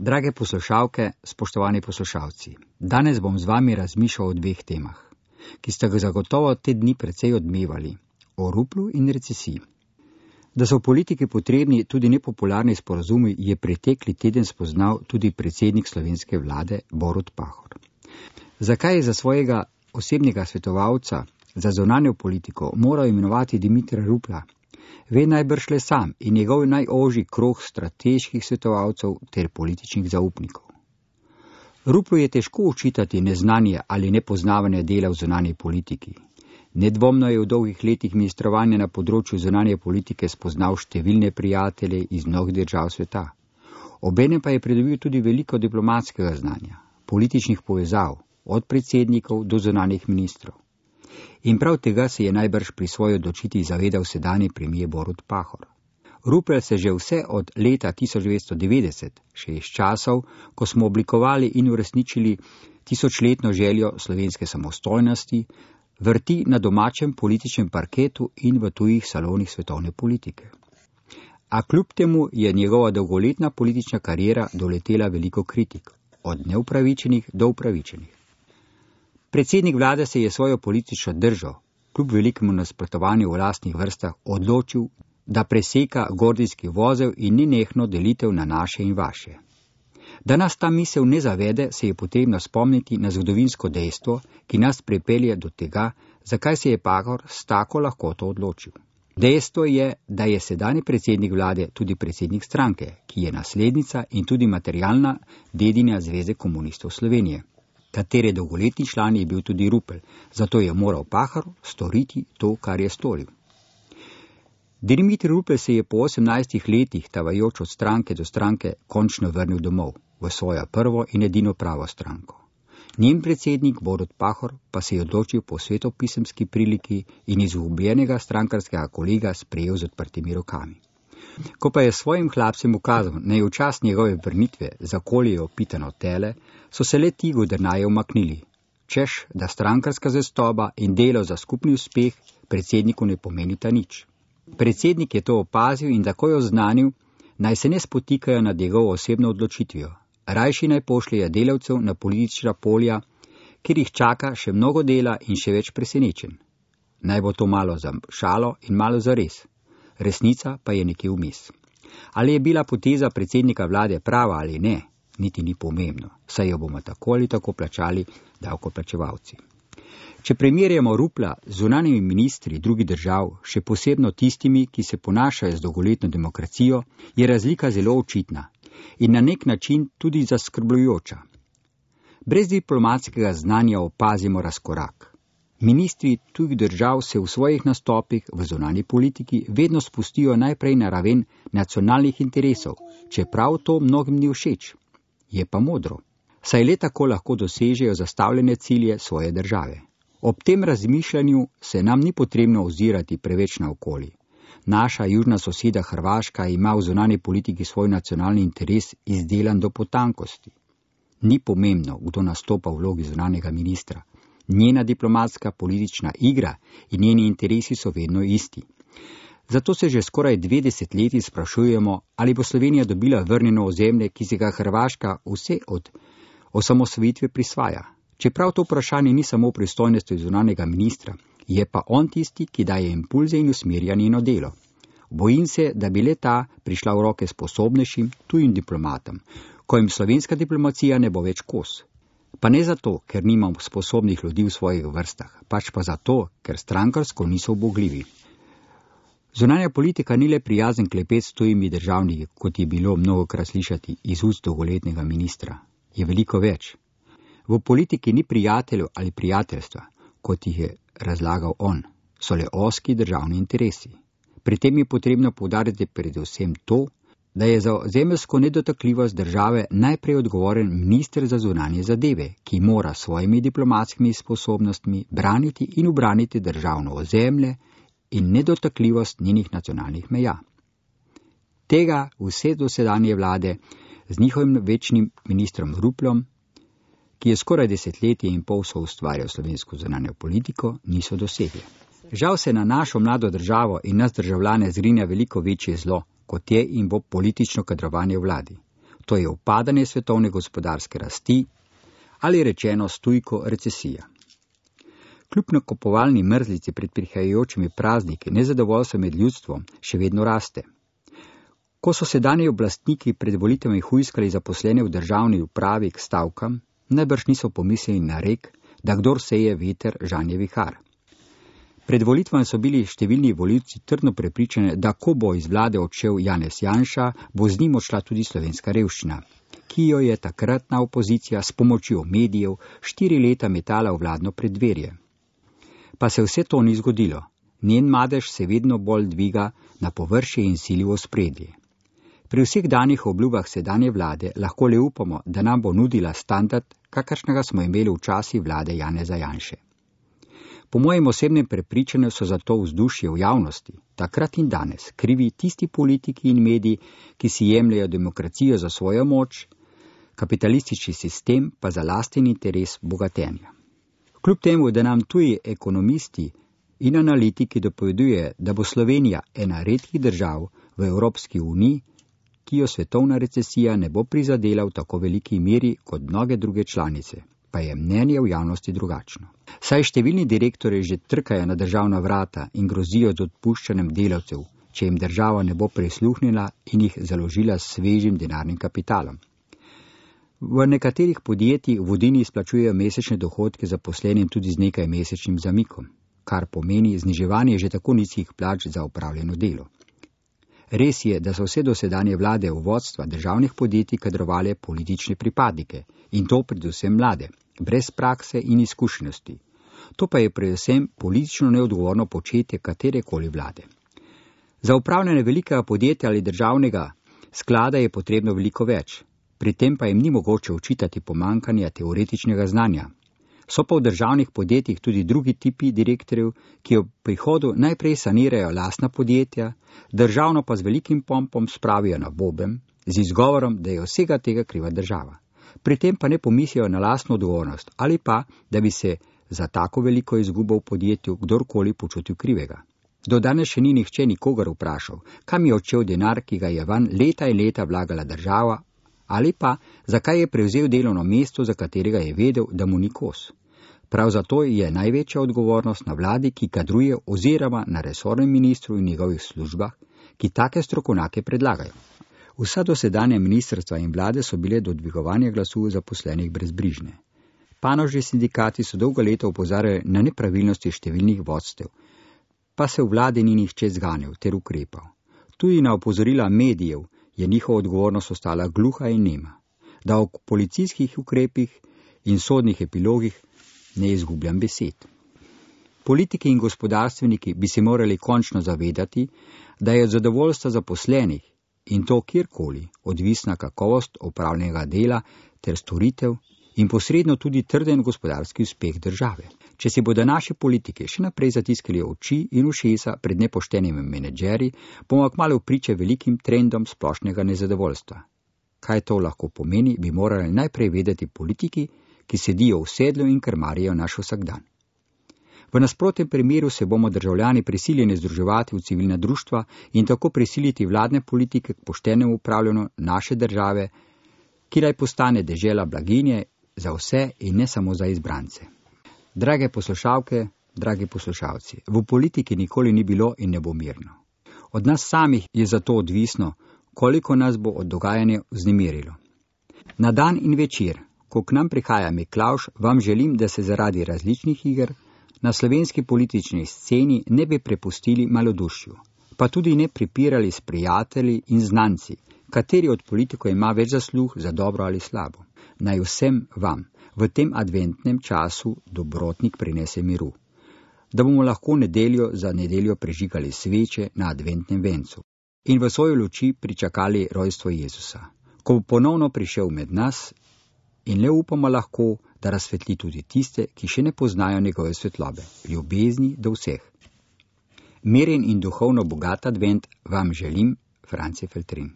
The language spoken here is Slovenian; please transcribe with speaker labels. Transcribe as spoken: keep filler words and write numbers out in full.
Speaker 1: Drage poslušalke, spoštovani poslušalci, danes bom z vami razmišljal o dveh temah, ki sta ga zagotovo te dni precej odmevali, o ruplu in recesiji. Da so v politiki potrebni tudi nepopularni sporazumi, je pretekli teden spoznal tudi predsednik slovenske vlade Borut Pahor. Zakaj je za svojega osebnega svetovalca za zunanjo politiko moral imenovati Dimitra Rupla? Ve najbrž le sam in njegov najožji krog strateških svetovalcev ter političnih zaupnikov. Ruplu je težko učitati neznanje ali nepoznavanje dela v zunanji politiki. Nedvomno je v dolgih letih ministrovanja na področju zunanje politike spoznal številne prijatelje iz mnogih držav sveta. Obenem pa je pridobil tudi veliko diplomatskega znanja, političnih povezav, od predsednikov do zunanjih ministrov. In prav tega se je najbrž pri svoji odločitvi zavedal sedanji premier Borut Pahor. Rupel se že vse od leta tisoč devetsto devetdeset, še iz časov, ko smo oblikovali in uresničili tisočletno željo slovenske samostojnosti, vrti na domačem političnem parketu in v tujih salonih svetovne politike. A kljub temu je njegova dolgoletna politična kariera doletela veliko kritik, od neupravičenih do upravičenih. Predsednik vlade se je svojo politično držo, kljub velikemu nasprotovanju v lastnih vrstah, odločil, da preseka gordijski vozel in nenehno delitev na naše in vaše. Da nas ta misel ne zavede, se je potrebno spomniti na zgodovinsko dejstvo, ki nas pripelje do tega, zakaj se je Pahor s tako lahkoto odločil. Dejstvo je, da je sedanji predsednik vlade tudi predsednik stranke, ki je naslednica in tudi materialna dedinja Zveze komunistov Slovenije, katere dolgoletni član je bil tudi Rupel, zato je moral Pahor storiti to, kar je storil. Dimiter Rupel se je po osemnajstih letih tavajoč od stranke do stranke končno vrnil domov, v svojo prvo in edino pravo stranko. Njen predsednik Borut Pahor pa se je odločil po svetopisemski priliki in izgubljenega strankarskega kolega sprejel z odprtimi rokami. Ko pa je svojim hlapcem ukazal, naj v čas njegove vrnitve zakolijo pitano tele, so se le ti godrnaje umaknili, češ, da strankarska zvestoba in delo za skupni uspeh predsedniku ne pomenita nič. Predsednik je to opazil in takoj oznanil, naj se ne spotikajo nad njegovo osebno odločitvijo, rajši naj pošljejo delavcev na politična polja, kjer jih čaka še mnogo dela in še več presenečenj. Naj bo to malo za šalo in malo za res. Resnica pa je nekje vmes. Ali je bila poteza predsednika vlade prava ali ne, niti ni pomembno, saj jo bomo tako ali tako plačali davkoplačevalci. Če primerjamo Rupla z zunanjimi ministri drugih držav, še posebno tistimi, ki se ponašajo z dolgoletno demokracijo, je razlika zelo očitna in na nek način tudi zaskrbljujoča. Brez diplomatskega znanja opazimo razkorak. Ministri tujih držav se v svojih nastopih v zunanji politiki vedno spustijo najprej na raven nacionalnih interesov, čeprav to mnogim ni všeč. Je pa modro, saj le tako lahko dosežejo zastavljene cilje svoje države. Ob tem razmišljanju se nam ni potrebno ozirati preveč naokoli. Naša južna soseda Hrvaška ima v zunanji politiki svoj nacionalni interes izdelan do potankosti. Ni pomembno, kdo nastopa v vlogi zunanjega ministra. Njena diplomatska politična igra in njeni interesi so vedno isti. Zato se že skoraj dve desetletji sprašujemo, ali bo Slovenija dobila vrnjeno ozemlje, ki se ga Hrvaška vse od osamosvojitve prisvaja. Čeprav to vprašanje ni samo v pristojnosti zunanjega ministra, je pa on tisti, ki daje impulze in usmerja njeno delo. Bojim se, da bi le ta prišla v roke sposobnejšim tujim diplomatom, ko jim slovenska diplomacija ne bo več kos. Pa ne zato, ker nimamo sposobnih ljudi v svojih vrstah, pač pa zato, ker strankarsko niso ubogljivi. Zunanja politika ni le prijazen klepet s tujimi državniki, kot je bilo mnogokrat slišati iz ust dolgoletnega ministra. Je veliko več. V politiki ni prijateljev ali prijateljstva, kot jih je razlagal on, so le ozki državni interesi. Pri tem je potrebno poudariti predvsem to, da je za ozemeljsko nedotakljivost države najprej odgovoren minister za zunanje zadeve, ki mora svojimi diplomatskimi sposobnostmi braniti in ubraniti državno ozemlje in nedotakljivost njenih nacionalnih meja. Tega vse dosedanje vlade z njihovim večnim ministrom Ruplom, ki je skoraj desetletje in pol soustvarjal slovensko zunanjo politiko, niso dosegli. Žal se na našo mlado državo in nas državljane zgrinja veliko večje zlo, kot je in bo politično kadrovanje v vladi. to je upadanje svetovne gospodarske rasti ali rečeno stujko recesija. Kljub nakupovalni mrzlici pred prihajajočimi prazniki nezadovoljstvo med ljudstvom še vedno raste. Ko so sedanji oblastniki pred volitvami hujskali zaposlene v državni upravi k stavkam, najbrž niso pomislili na rek, da kdor seje veter, žanje vihar. Pred volitvami so bili številni volivci trdno prepričani, da ko bo iz vlade odšel Janez Janša, bo z njim odšla tudi slovenska revščina, ki jo je takratna opozicija s pomočjo medijev štiri leta metala v vladno preddverje. Pa se vse to ni zgodilo. Njen madež se vedno bolj dviga na površje in sili v ospredje. Pri vseh danih obljubah sedanje vlade lahko le upamo, da nam bo nudila standard, kakršnega smo imeli v časi vlade Janeza Janše. Po mojem osebnem prepričanju so za to vzdušje v javnosti, takrat in danes, krivi tisti politiki in mediji, ki si jemljajo demokracijo za svojo moč, kapitalistični sistem pa za lasten interes bogatenja. Kljub temu, da nam tuji ekonomisti in analitiki dopovedujejo, da bo Slovenija ena redkih držav v Evropski uniji, ki jo svetovna recesija ne bo prizadela v tako veliki meri kot mnoge druge članice, pa je mnenje v javnosti drugačno. Saj številni direktorji že trkajo na državna vrata in grozijo z odpuščanjem delavcev, če jim država ne bo prisluhnila in jih založila s svežim denarnim kapitalom. V nekaterih podjetjih vodilni izplačujejo mesečne dohodke zaposlenim tudi z nekaj mesečnim zamikom, kar pomeni zniževanje že tako nizkih plač za opravljeno delo. Res je, da so vse dosedanje vlade v vodstva državnih podjetij kadrovale politične pripadnike, in to predvsem mlade, brez prakse in izkušenosti. To pa je predvsem politično neodgovorno početje katerekoli vlade. Za upravljanje velikega podjetja ali državnega sklada je potrebno veliko več, pri tem pa jim ni mogoče očitati pomanjkanja teoretičnega znanja. So pa v državnih podjetjih tudi drugi tipi direktorjev, ki v prihodu najprej sanirajo lastna podjetja, državno pa z velikim pompom spravijo na boben, z izgovorom, da je vsega tega kriva država. Pri tem pa ne pomislijo na lastno odgovornost ali pa, da bi se za tako veliko izgubo v podjetju kdorkoli počutil krivega. Do danes še ni nihče nikogar vprašal, kam je odšel denar, ki ga je van leta in leta vlagala država, ali pa zakaj je prevzel delovno mesto, za katerega je vedel, da mu ni kos. Prav zato je največja odgovornost na vladi, ki kadruje oziroma na resornem ministru in njegovih službah, ki take strokovnjake predlagajo. Vsa dosedanja ministrstva in vlade so bile do dvigovanja glasu zaposlenih brezbrižne. Panožni sindikati so dolgo leta opozarjali na nepravilnosti številnih vodstev, pa se v vladi ni nihče zganil ter ukrepal. Tudi na opozorila medijev je njihova odgovornost ostala gluha in nema, da o policijskih ukrepih in sodnih epilogih ne izgubljam besed. Politiki in gospodarstveniki bi se morali končno zavedati, da je od zadovoljstva zaposlenih in to kjerkoli odvisna kakovost opravljenega dela ter storitev in posredno tudi trden gospodarski uspeh države. Če si bodo naši politiki še naprej zatiskali oči in ušesa pred nepoštenimi menedžeri, bomo kmalu priče velikim trendom splošnega nezadovoljstva. Kaj to lahko pomeni, bi morali najprej vedeti politiki, ki sedijo v sedlu in krmarijo naš vsakdan. V nasprotnem primeru se bomo državljani prisiljeni združevati v civilna društva in tako prisiliti vladne politike k poštenemu upravljanju naše države, ki naj postane dežela blaginje za vse in ne samo za izbrance. Drage poslušalke, dragi poslušalci, v politiki nikoli ni bilo in ne bo mirno. Od nas samih je zato odvisno, koliko nas bo od dogajanja vznemirilo. Na dan in večer, ko k nam prihaja Miklavž, vam želim, da se zaradi različnih iger na slovenski politični sceni ne bi prepustili malodušju, pa tudi ne pripirali s prijatelji in znanci, kateri od politikov ima več zasluh za dobro ali slabo. Naj vsem vam v tem adventnem času dobrotnik prinese miru, da bomo lahko nedeljo za nedeljo prižigali sveče na adventnem vencu in v svojo luči pričakali rojstvo Jezusa, ko bo ponovno prišel med nas in le upamo lahko, da razsvetli tudi tiste, ki še ne poznajo njegove svetlobe, ljubezni do vseh. Miren in duhovno bogat advent vam želim, Franci Feltrin.